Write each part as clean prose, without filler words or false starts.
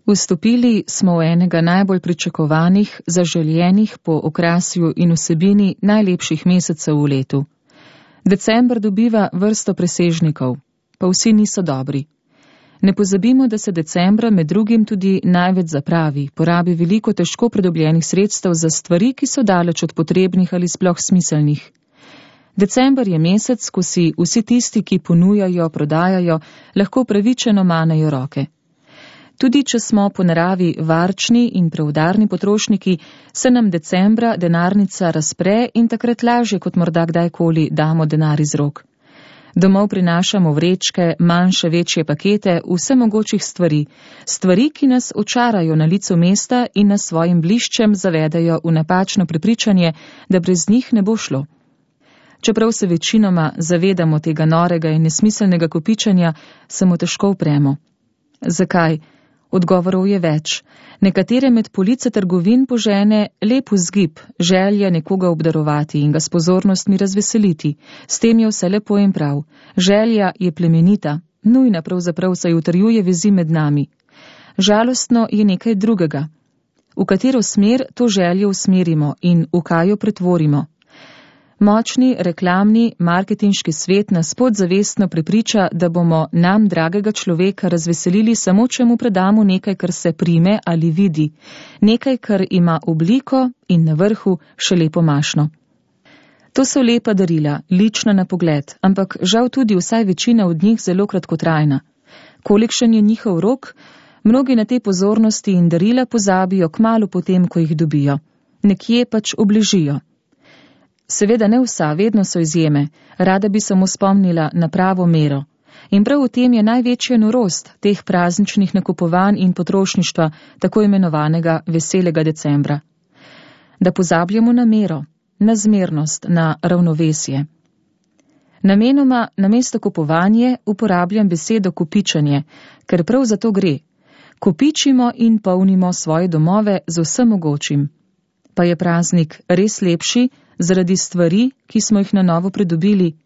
Vstopili smo v enega najbolj pričakovanih, zaželjenih po okrasju in vsebini najlepših mesecev v letu. December dobiva vrsto presežnikov, pa vsi niso dobri. Ne pozabimo, da se decembra med drugim tudi največ zapravi, porabi veliko težko pridobljenih sredstev za stvari, ki so daleč od potrebnih ali sploh smiselnih. December je mesec, ko si vsi tisti, ki ponujajo, prodajajo, lahko pravičeno manejo roke. Tudi če smo po naravi varčni in preudarni potrošniki, se nam decembra denarnica razpre in takrat lažje kot morda kdajkoli damo denar iz rok. Domov prinašamo vrečke, manjše, večje pakete, vse mogočih stvari, ki nas očarajo na licu mesta in nas svojim bliščem zavedajo v napačno prepričanje, da brez njih ne bo šlo. Čeprav se večinoma zavedamo tega norega in nesmiselnega kopičenja, se mu težko upremo. Zakaj? Odgovorov je več. Nekatere med police trgovin požene lep vzgib, želja nekoga obdarovati in ga s pozornostmi razveseliti. S tem je vse lepo in prav. Želja je plemenita, nujna pravzaprav, saj utrjuje vezi med nami. Žalostno je nekaj drugega. V katero smer to željo usmerimo in v kaj jo pretvorimo? Močni, reklamni, marketinški svet nas podzavestno prepriča, da bomo nam dragega človeka razveselili samo, če mu predamo nekaj, kar se prime ali vidi, nekaj, kar ima obliko in na vrhu še lepo mašno. To so lepa darila, lična na pogled, ampak žal tudi vsaj večina od njih zelo kratkotrajna. Kolikšen je njihov rok? Mnogi na te pozornosti in darila pozabijo kmalu potem, ko jih dobijo. Nekje pač obležijo. Seveda ne vsa, vedno so izjeme, rada bi samo spomnila na pravo mero. In prav v tem je največja norost teh prazničnih nakupovanj in potrošništva, tako imenovanega veselega decembra. Da pozabljamo na mero, na zmernost, na ravnovesje. Namenoma namesto kupovanje uporabljam besedo kopičenje, ker prav za to gre. Kopičimo in polnimo svoje domove z vsem mogočim. Pa je praznik res lepši zaradi stvari, ki smo jih na novo pridobili?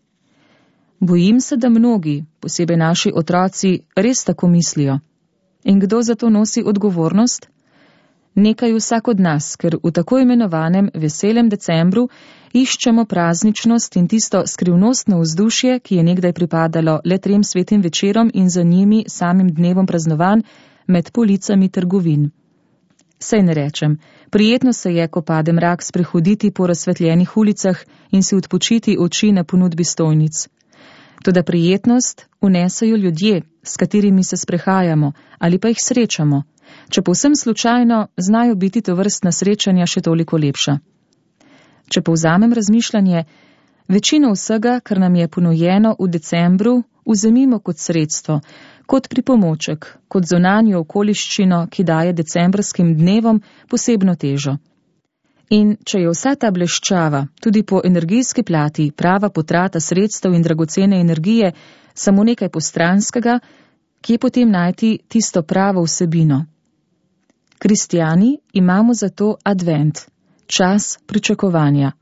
Bojim se, da mnogi, posebej naši otroci, res tako mislijo. In kdo za to nosi odgovornost? Nekaj vsak od nas, ker v tako imenovanem veselem decembru iščemo prazničnost in tisto skrivnostno vzdušje, ki je nekdaj pripadalo le 3 svetim večerom in za njimi samim dnevom praznovanj med policami trgovin. Sej ne rečem, prijetno se je, ko pade mrak, sprehoditi po razsvetljenih ulicah in si odpočiti oči na ponudbi stojnic. Toda prijetnost vnesajo ljudje, s katerimi se sprehajamo ali pa jih srečamo. Če povsem slučajno, znajo biti tovrstna srečanja še toliko lepša. Če povzamem razmišljanje, večino vsega, kar nam je ponujeno v decembru, vzemimo kot sredstvo, kot pripomoček, kot zunanjo okoliščino, ki daje decembrskim dnevom posebno težo. In če je vsa ta bleščava, tudi po energijski plati, prava potrata sredstev in dragocene energije, samo nekaj postranskega, kje potem najti tisto pravo vsebino? Kristjani imamo zato advent, čas pričakovanja.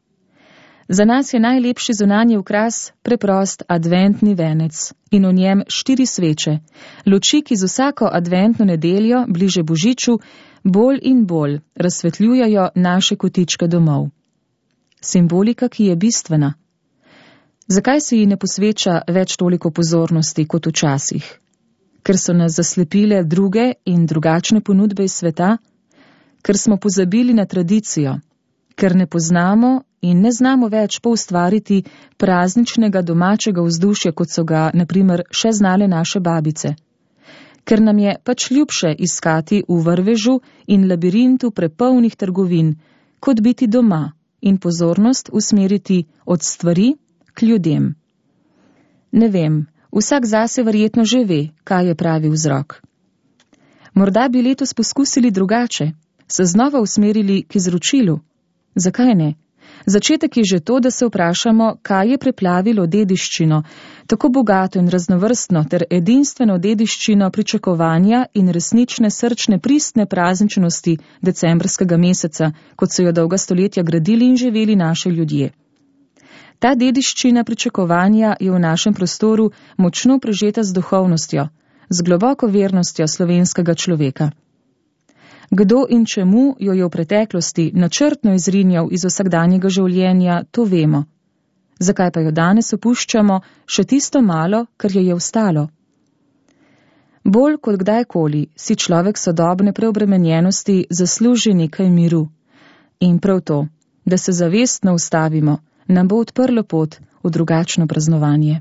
Za nas je najlepši zunanji okras preprost adventni venec in v njem 4 sveče, luči, ki z vsako adventno nedeljo bliže Božiču bolj in bolj razsvetljujejo naše kotičke domov. Simbolika, ki je bistvena. Zakaj se ji ne posveča več toliko pozornosti kot včasih? Ker so nas zaslepile druge in drugačne ponudbe iz sveta? Ker smo pozabili na tradicijo? Ker ne poznamo in ne znamo več poustvariti prazničnega domačega vzdušja, kot so ga, na primer, še znale naše babice. Ker nam je pač ljubše iskati v vrvežu in labirintu prepolnih trgovin, kot biti doma in pozornost usmeriti od stvari k ljudem. Ne vem, vsak zase verjetno že ve, kaj je pravi vzrok. Morda bi letos poskusili drugače, se znova usmerili k izročilu. Zakaj ne? Začetek je že to, da se vprašamo, kaj je preplavilo dediščino, tako bogato in raznovrstno ter edinstveno dediščino pričakovanja in resnične srčne pristne prazničnosti decembrskega meseca, kot so jo dolga stoletja gradili in živeli naši ljudje. Ta dediščina pričakovanja je v našem prostoru močno prežeta z duhovnostjo, z globoko vernostjo slovenskega človeka. Kdo in čemu jo je v preteklosti načrtno izrinjal iz vsakdanjega življenja, to vemo. Zakaj pa jo danes opuščamo še tisto malo, kar jo je ostalo? Bolj kot kdajkoli si človek sodobne preobremenjenosti zasluži nekaj miru. In prav to, da se zavestno ustavimo, nam bo odprlo pot v drugačno praznovanje.